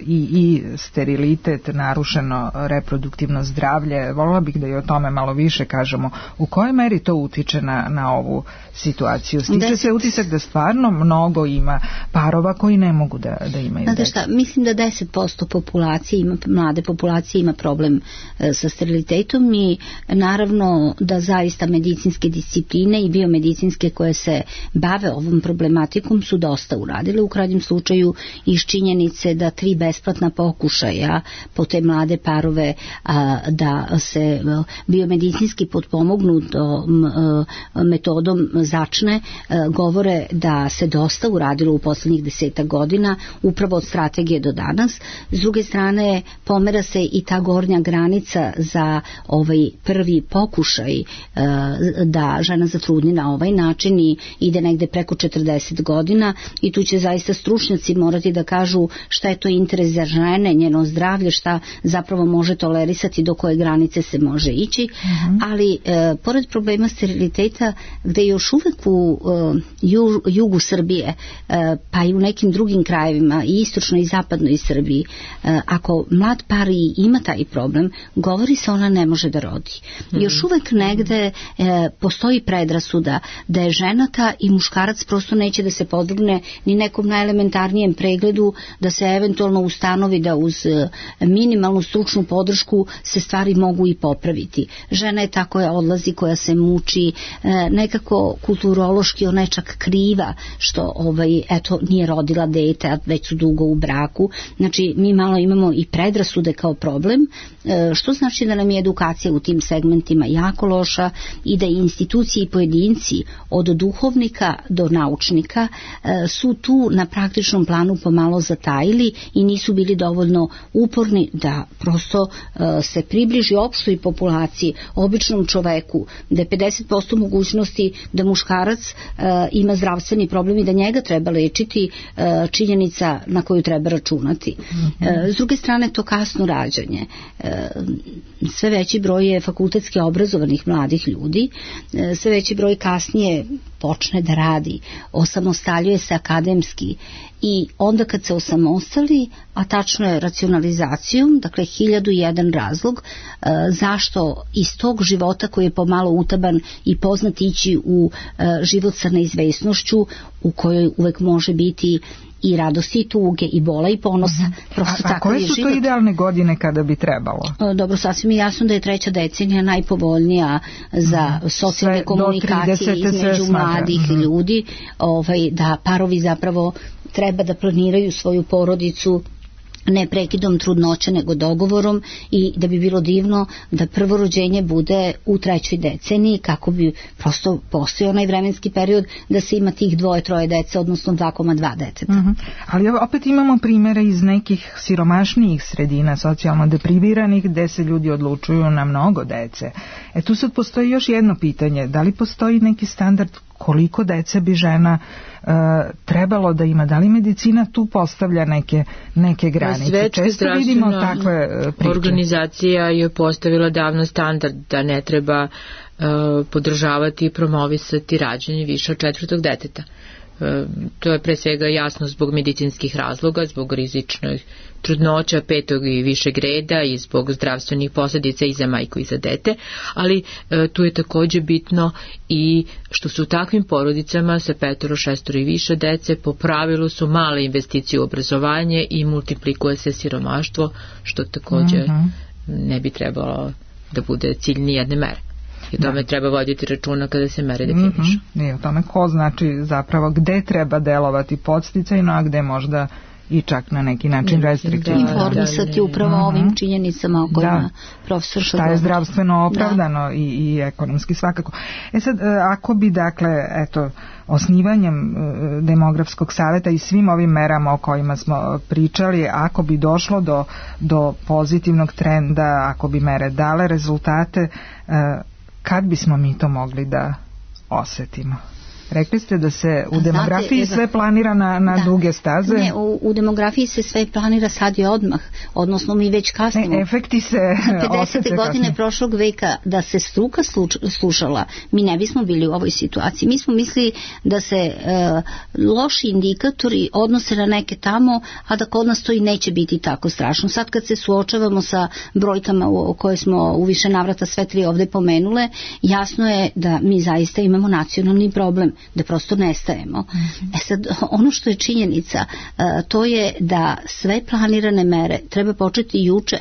i, i sterilitet, narušeno reproduktivno zdravlje. Volila bih da i o tome malo više kažemo. U kojoj meri to utiče na, na ovu situaciju? Stiče se utisak da stvarno mnogo ima parova koji ne mogu da, da imaju dete. Znate šta, mislim da deset posto populacije ima, mlade populacije ima problem e, sa sterilitetom i naravno da zaista medicinske discipline i biomedicinske koje se bave ovom problematikom su dosta uradile, u krajnjem slučaju iz činjenice da tri besplatna pokušaja po te mlade parove a, da se biomedicinski potpomognu metodom začne, a, govore da se dosta uradilo u poslednjih desetak godina upravo od strategije do danas. S druge strane pomera se i ta gornja granica za ovaj prvi pokušaj a, da žena zatrudni na ovaj način i ide negde preko četrdeset godina i tu će zaista stručnjaci morati da kažu šta je to interes za žene, njeno zdravlje, šta zapravo može tolerisati, do koje granice se može ići, mm-hmm. ali e, pored problema steriliteta gde još uvek u e, ju, jugu Srbije e, pa i u nekim drugim krajevima i istočnoj i zapadnoj Srbiji, e, ako mlad par i ima taj problem, govori se ona ne može da rodi. Mm-hmm. Još uvek negde e, postoji predrasuda da je ženata i muškarac prosto neće da se podvrgne ni nekom najelementarnijem pregledu, da se eventualno ustanovi da uz minimalnu stručnu podršku se stvari mogu i popraviti. Žena je ta koja odlazi, koja se muči, nekako kulturološki ona je čak kriva što ovaj, eto, nije rodila dete, a već su dugo u braku. Znači, mi malo imamo i predrasude kao problem, što znači da nam je edukacija u tim segmentima jako loša i da institucije i pojedinci od duhovnika do naučnika politika su tu na praktičnom planu pomalo zatajili i nisu bili dovoljno uporni da prosto se približi opštoj populaciji, običnom čoveku, da je pedeset posto mogućnosti da muškarac ima zdravstveni problem i da njega treba lečiti, činjenica na koju treba računati. S druge strane, to kasno rađanje. Sve veći broj je fakultetski obrazovanih mladih ljudi, sve veći broj kasnije počne da radi, osamostaljuje se akademski i onda kad se osamostali, a tačno je racionalizacijom, dakle hiljadu i jedan razlog e, zašto iz tog života koji je pomalo utaban i poznat ići u e, život sa neizvesnošću u kojoj uvek može biti i radosti i tuge i bola i ponosa. Prosto a, a tako koje je su život. To idealne godine kada bi trebalo? Dobro, sasvim je jasno da je treća decenija najpovoljnija za socijalne komunikacije između mladih mm-hmm. ljudi, ovaj, da parovi zapravo treba da planiraju svoju porodicu ne prekidom trudnoće nego dogovorom i da bi bilo divno da prvo rođenje bude u trećoj deceniji kako bi prosto postojao onaj vremenski period da se ima tih dvoje, troje dece, odnosno dva zarez dva deteta. Mm-hmm. Ali opet imamo primere iz nekih siromašnijih sredina, socijalno depriviranih, gde se ljudi odlučuju na mnogo dece. E tu sad postoji još jedno pitanje, da li postoji neki standard koliko dece bi žena uh, trebalo da ima, da li medicina tu postavlja neke, neke granice? Svetska zdravstvena organizacija je postavila davno standard da ne treba uh, podržavati i promovisati rađanje više od četvrtog deteta. To je pre svega jasno zbog medicinskih razloga, zbog rizičnih trudnoća petog i višeg reda i zbog zdravstvenih posljedica i za majku i za dete, ali e, tu je također bitno i što su u takvim porodicama sa petoro, šestoro i više dece po pravilu su male investicije u obrazovanje i multiplikuje se siromaštvo, što također mm-hmm. ne bi trebalo da bude cilj ni jedne mere. I o tome da. Treba voditi računa kada se mere definišu. Mm-hmm. I o tome ko znači zapravo gde treba delovati podsticajno, a gde možda i čak na neki način restriktivno. Da, informisati da, upravo uh-huh. ovim činjenicama o kojima da. Profesor Šodor. Šta je zdravstveno opravdano da. i, i ekonomski svakako. E sad, ako bi dakle, eto, osnivanjem demografskog saveta i svim ovim merama o kojima smo pričali, ako bi došlo do, do pozitivnog trenda, ako bi mere dale rezultate, kad bismo mi to mogli da osetimo? Rekli ste da se u demografiji Znate, sve planira na, na da, duge staze? Ne, u, u demografiji se sve planira sad i odmah, odnosno mi već kasnimo. Ne, efekti se pedesete godine prošlog veka da se struka sluč, slušala, mi ne bismo bili u ovoj situaciji. Mi smo mislili da se e, loši indikatori odnose na neke tamo, a da kod nas to i neće biti tako strašno. Sad kad se suočavamo sa brojkama u, koje smo u više navrata sve tri ovde pomenule, jasno je da mi zaista imamo nacionalni problem, da prosto nestajemo. Mm-hmm. E sad, ono što je činjenica, to je da sve planirane mere treba početi juče.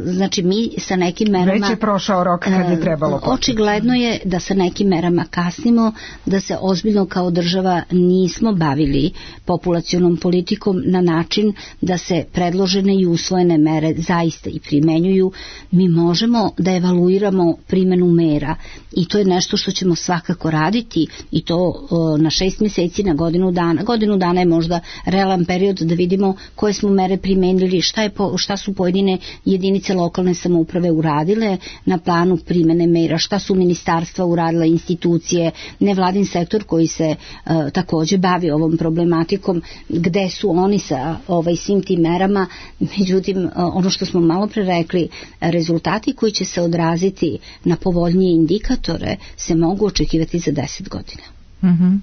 Znači mi sa nekim merama... Već je prošao rok kad je trebalo početi. Očigledno je da sa nekim merama kasnimo, da se ozbiljno kao država nismo bavili populacionom politikom na način da se predložene i usvojene mere zaista i primenjuju. Mi možemo da evaluiramo primenu mera i to je nešto što ćemo svakako raditi i to o, na šest mjeseci, na godinu dana. Godinu dana je možda realan period da vidimo koje smo mere primenili, šta, je po, šta su pojedine jedinice jedinice lokalne samouprave uradile na planu primene mera, šta su ministarstva uradile, institucije, nevladin sektor koji se uh, također bavi ovom problematikom, gde su oni sa ovaj, svim tim merama. Međutim, uh, ono što smo malo pre rekli, rezultati koji će se odraziti na povoljnije indikatore se mogu očekivati za deset godina. Mm-hmm.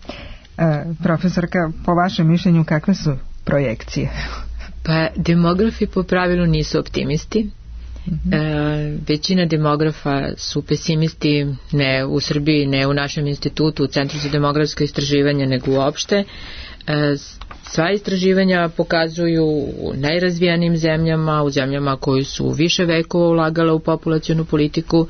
E, profesorka, po vašem mišljenju kakve su projekcije? Pa demografi po pravilu nisu optimisti. Mm-hmm. E, većina demografa su pesimisti, ne u Srbiji, ne u našem institutu, u Centru za demografsko istraživanje, nego uopšte. E, sva istraživanja pokazuju u najrazvijanijim zemljama, u zemljama koji su više vekova ulagale u populacionu politiku,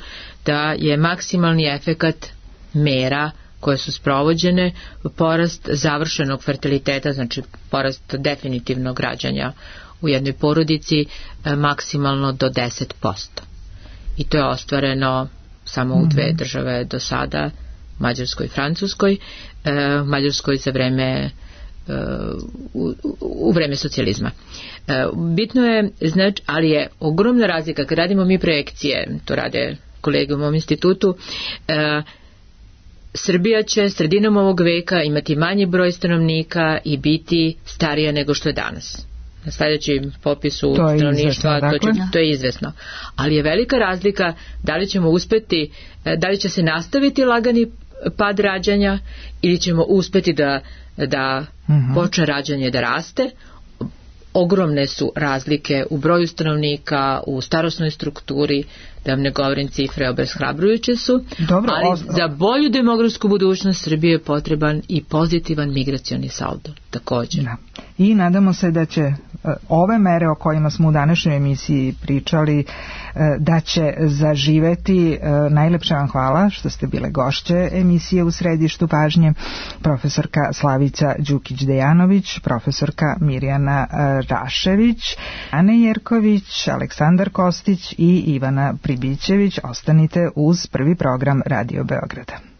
da je maksimalni efekat mera koje su sprovođene, porast završenog fertiliteta, znači porast definitivnog rađanja u jednoj porodici maksimalno do deset posto. I to je ostvareno samo u dve države do sada, Mađarskoj i Francuskoj. Mađarskoj za vreme u, u vreme socijalizma. Bitno je, znači, ali je ogromna razlika kad radimo mi projekcije, to rade kolege u mom institutu, Srbija će sredinom ovog veka imati manji broj stanovnika i biti starija nego što je danas. Na sljedećem popisu to stanovništva dakle. to, će, to je izvesno. Ali je velika razlika da li ćemo uspeti, da li će se nastaviti lagani pad rađanja ili ćemo uspeti da, da uh-huh. počne rađanje da raste. Ogromne su razlike u broju stanovnika, u starosnoj strukturi, da vam ne govorim cifre, obeshrabrujuće su. Dobro, ali ostro. Za bolju demografsku budućnost Srbije je potreban i pozitivan migracioni saldo, također. Da. I nadamo se da će ove mere o kojima smo u današnjoj emisiji pričali, da će zaživeti. Najlepša vam hvala što ste bile gošće emisije U središtu pažnje, profesorka Slavica Đukić-Dejanović, profesorka Mirjana Rašević, Ane Jerković, Aleksandar Kostić i Ivana Pribićević. Ostanite uz prvi program Radio Beograda.